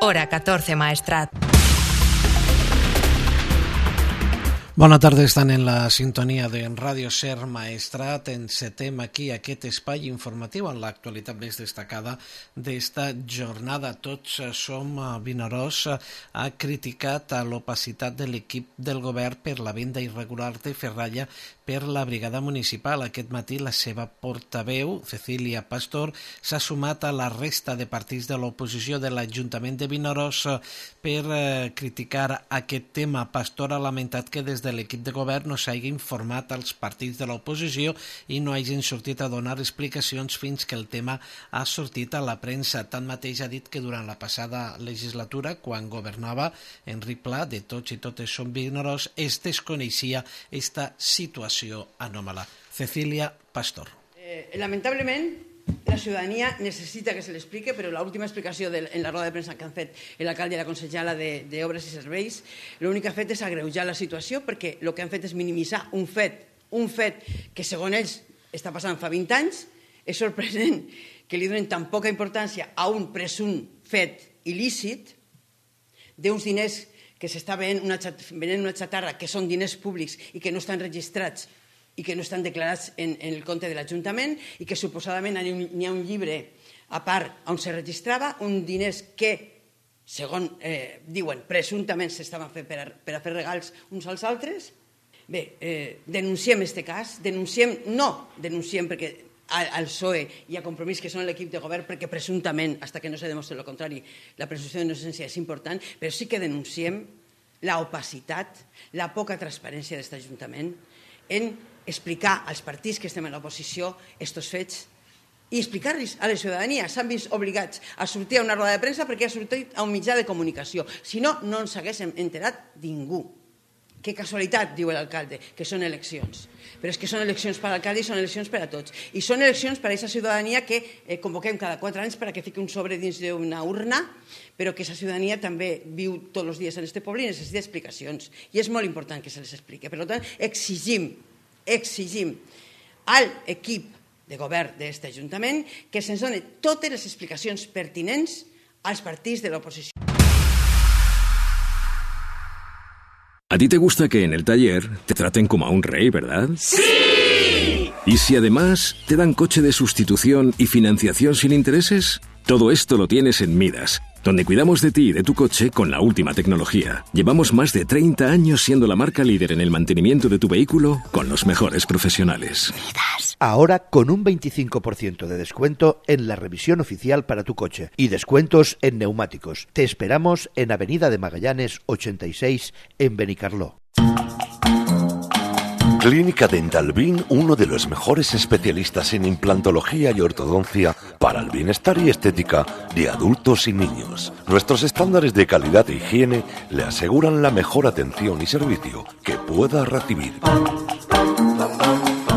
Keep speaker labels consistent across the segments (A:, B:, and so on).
A: Hora 14 Maestrat.
B: Bona tarda, estan en la sintonia de Ràdio Ser Maestrat. Encetem aquí aquest espai informatiu en l'actualitat més destacada d'esta jornada. Tots som Vinaròs. Ha criticat l'opacitat de l'equip del govern per la venda irregular de ferralla per la brigada municipal. Aquest matí la seva portaveu, Cecília Pastor, s'ha sumat a la resta de partits de l'oposició de l'Ajuntament de Vinaròs per criticar aquest tema. Pastor ha lamentat que des de l'equip de govern no s'hagi informat als partits de l'oposició i no hagin sortit a donar explicacions fins que el tema ha sortit a la premsa. Tanmateix ha dit que durant la passada legislatura, quan governava Enric Pla, de Tots i Totes som Vinaròs, es desconeixia esta situació anòmala. Cecília Pastor.
C: Lamentablement, la ciudadanía necesita que se le explique, pero la última explicación en la rueda de prensa que han fet l'alcalde i la consellera d'Obres i Serveis, l'únic que ha fet és agreujar la situació, perquè el que han fet és minimitzar un fet que segons ells està passant fa 20 anys. És sorprenent que li donen tan poca importància a un presumpte fet il·lícit d'uns diners que s'està venent una xatarra, que són diners públics i que no estan registrats i que no estan declarats en el compte de l'Ajuntament, i que suposadament n'hi ha un llibre a part on se registrava, uns diners que, segons diuen, presumptament s'estaven fent per a fer regals uns als altres. Bé, denunciem aquest cas, denunciem perquè al PSOE i a Compromís, que són l'equip de govern, perquè presumptament, fins que no se demostri el contrari, la presumpció d'innocència és important, però sí que denunciem l'opacitat, la poca transparència d'aquest Ajuntament en explicar als partits que estem en l'oposició aquests fets i explicar-los a la ciutadania. S'han vist obligats a sortir a una roda de premsa perquè ha sortit a un mitjà de comunicació. Si no, no ens haguéssim enterat ningú. Que casualitat, diu l'alcalde, que són eleccions. Però és que són eleccions per a l'alcalde i són eleccions per a tots. I són eleccions per a aquesta ciutadania que convoquem cada 4 anys perquè fiqui un sobre dins d'una urna, però que aquesta ciutadania també viu tots els dies en aquest poble i necessita explicacions. I és molt important que se les expliqui. Per tant, exigim a l'equip de govern d'aquest Ajuntament que se'ns doni totes les explicacions pertinents als partits de l'oposició.
D: A ti te gusta que en el taller te traten como a un rey, ¿verdad? ¡Sí! ¿Y si además te dan coche de sustitución y financiación sin intereses? Todo esto lo tienes en Midas, donde cuidamos de ti y de tu coche con la última tecnología. Llevamos más de 30 años siendo la marca líder en el mantenimiento de tu vehículo con los mejores profesionales.
E: Midas. Ahora con un 25% de descuento en la revisión oficial para tu coche y descuentos en neumáticos. Te esperamos en Avenida de Magallanes 86 en Benicarló.
F: Clínica Dental Bin, uno de los mejores especialistas en implantología y ortodoncia para el bienestar y estética de adultos y niños. Nuestros estándares de calidad e higiene le aseguran la mejor atención y servicio que pueda recibir.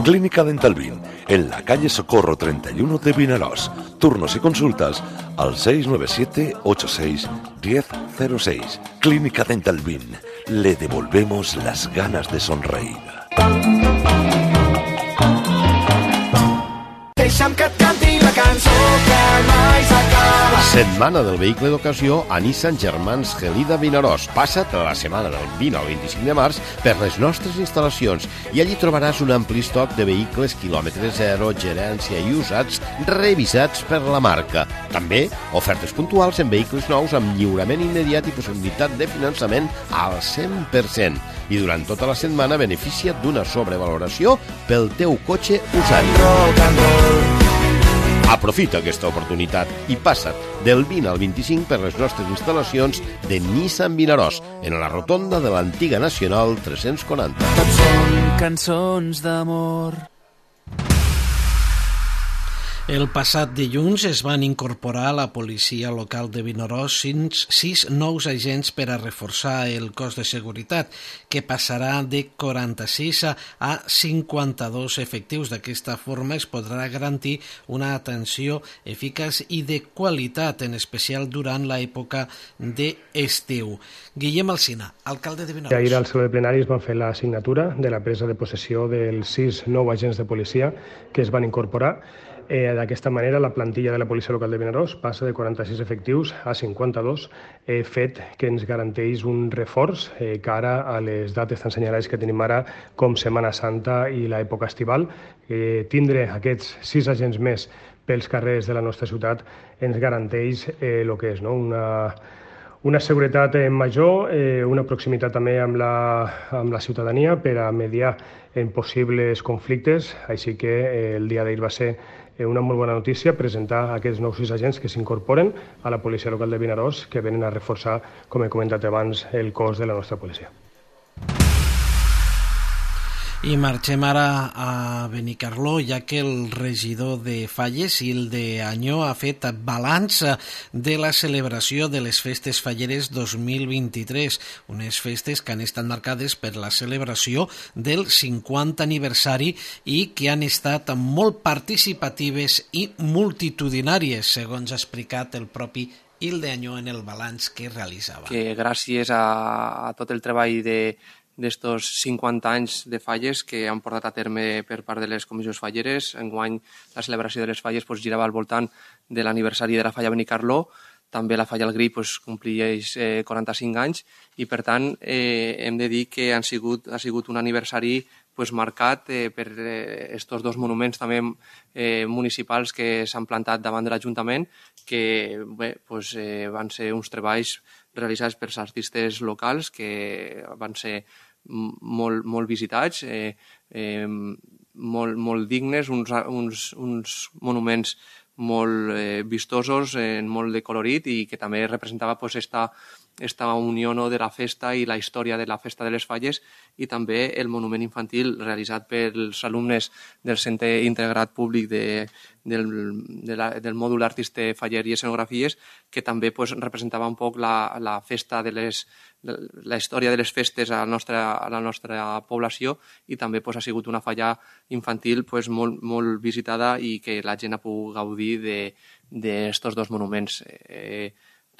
F: Clínica Dental Bin, en la calle Socorro 31 de Vinaròs. Turnos y consultas al 697 86 1006. Clínica Dental Bin, le devolvemos las ganas de sonreír.
G: Deixa'm que et canti la cançó que mai s'acaba.
H: Setmana del vehicle d'ocasió a Nissan Germans Gelida Vinaròs. Passa't la setmana del 20 al 25 de març per les nostres instal·lacions i allí trobaràs un ampli estoc de vehicles quilòmetre zero, gerència i usats revisats per la marca. També ofertes puntuals en vehicles nous amb lliurament immediat i possibilitat de finançament al 100%. I durant tota la setmana beneficia't d'una sobrevaloració pel teu cotxe usat. Aprofita aquesta oportunitat i passa't del 20 al 25 per les nostres instal·lacions de Nissan Vinaròs, en la rotonda de l'antiga Nacional 340.
G: Tots són cançons d'amor.
B: El passat dilluns es van incorporar a la policia local de Vinaròs 6 nous agents per a reforçar el cos de seguretat, que passarà de 46 a 52 efectius. D'aquesta forma es podrà garantir una atenció eficaç i de qualitat, en especial durant l'època d'estiu. Guillem Alsina, alcalde de Vinaròs.
I: Ahir al saló de plenaris van fer la signatura de la presa de possessió dels 6 nous agents de policia que es van incorporar.
A: D'aquesta manera, la plantilla de la Policia Local de Vinaròs passa de 46 efectius a 52, fet que ens garanteix un reforç cara a les dates tan senyalades que tenim ara com Setmana Santa i l'època estival. Tindre aquests 6 agents més pels carrers de la nostra ciutat ens garanteix el que és una seguretat major, una proximitat també amb la ciutadania per a mediar en possibles conflictes, així que el dia d'ahir va ser una molt bona notícia presentar aquests nous 6 agents que s'incorporen a la Policia Local de Vinaròs, que venen a reforçar, com he comentat abans, el cos de la nostra policia.
B: I marxem ara a Benicarló, ja que el regidor de Falles, Hilde Añó, ha fet balanç de la celebració de les Festes Falleres 2023, unes festes que han estat marcades per la celebració del 50 aniversari i que han estat molt participatives i multitudinàries, segons ha explicat el propi Hilde Añó en el balanç que realitzava.
I: Que gràcies a tot el treball d'estos 50 anys de falles que han portat a terme per part de les comissions falleres. Enguany la celebració de les falles girava al voltant de l'aniversari de la falla Benicarló. També la falla El Gri compleix 45 anys i, per tant, hem de dir que ha sigut un aniversari marcat per estos dos monuments també municipals que s'han plantat davant de l'Ajuntament, que van ser uns treballs realitzats pels artistes locals que van ser molt visitats, molt dignes, uns monuments molt vistosos, molt de colorit i que també representava esta unió de la festa i la història de la festa de les Falles, i també el monument infantil realitzat pels alumnes del Centre Integrat Públic del mòdul Artista Faller i Escenografies, que també representava un poc la festa la història de les festes a la nostra població, i també ha sigut una falla infantil molt visitada i que la gent ha pogut gaudir d'estos dos monuments.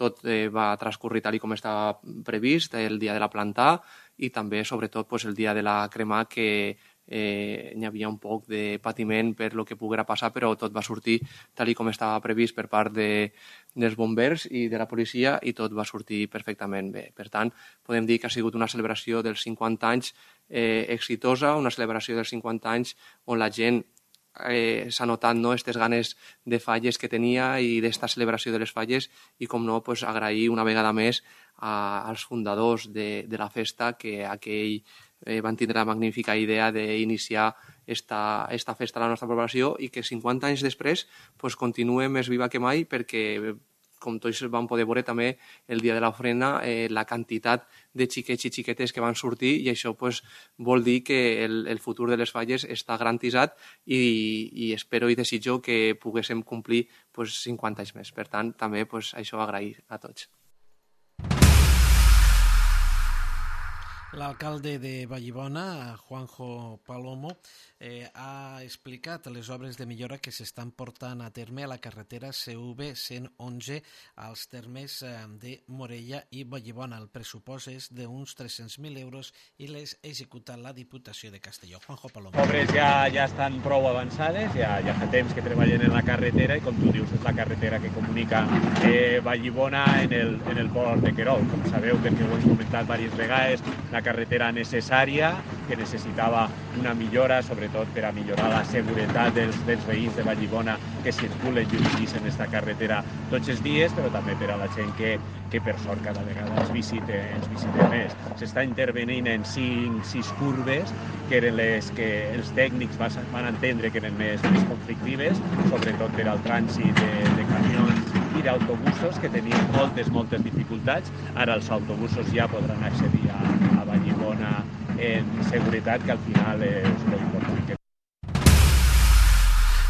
I: Tot va transcorrir tal com estava previst, el dia de la plantà i també, sobretot, el dia de la cremà, que hi havia un poc de patiment per lo que poguera passar, però tot va sortir tal com estava previst per part dels bombers i de la policia, i tot va sortir perfectament bé. Per tant, podem dir que ha sigut una celebració dels 50 anys exitosa, una celebració dels 50 anys on la gent s'ha notat aquestes ganes de falles que tenia i d'esta celebració de les falles, i com no, agrair una vegada més als fundadors de la festa, que aquell van tindre la magnífica idea d'iniciar esta festa a la nostra població, i que 50 anys després continua més viva que mai, perquè com tots vam poder veure també el dia de l'ofrena, la quantitat de xiquets i xiquetes que van sortir, i això vol dir que el futur de les falles està garantitzat, i espero i desitjo que poguéssim complir 50 anys més. Per tant, també això agrair a tots.
B: L'alcalde de Vallibona, Juanjo Palomo, ha explicat les obres de millora que s'estan portant a terme a la carretera CV111 als termes de Morella i Vallibona. El pressupost és d'uns 300.000 euros i les executa la Diputació de Castelló. Juanjo Palomo.
J: Les obres ja estan prou avançades, ja fa temps que treballen en la carretera, i com tu dius, és la carretera que comunica Vallibona en el port de Querol. Com sabeu, perquè ho hem comentat diverses vegades, la carretera necessària, que necessitava una millora, sobretot per a millorar la seguretat dels veïns de Vallibona que circulen i utilitzen aquesta carretera tots els dies, però també per a la gent que per sort cada vegada ens visita més. S'està intervenint en 6 curves, que eren les que els tècnics van entendre que eren més conflictives, sobretot per al trànsit de camions i d'autobusos, que tenien moltes dificultats. Ara els autobusos ja podran accedir a Vallibona en seguretat, que al final és molt important.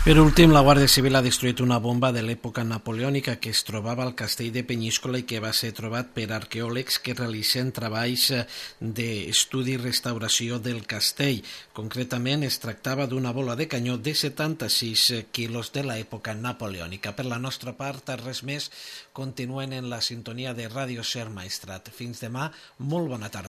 B: Per últim, la Guàrdia Civil ha destruït una bomba de l'època napoleònica que es trobava al castell de Penyíscola i que va ser trobat per arqueòlegs que realitzen treballs d'estudi i restauració del castell. Concretament, es tractava d'una bola de canyó de 76 quilos de l'època napoleònica. Per la nostra part, res més. Continuen en la sintonia de Ràdio Ser Maestrat. Fins demà, molt bona tarda.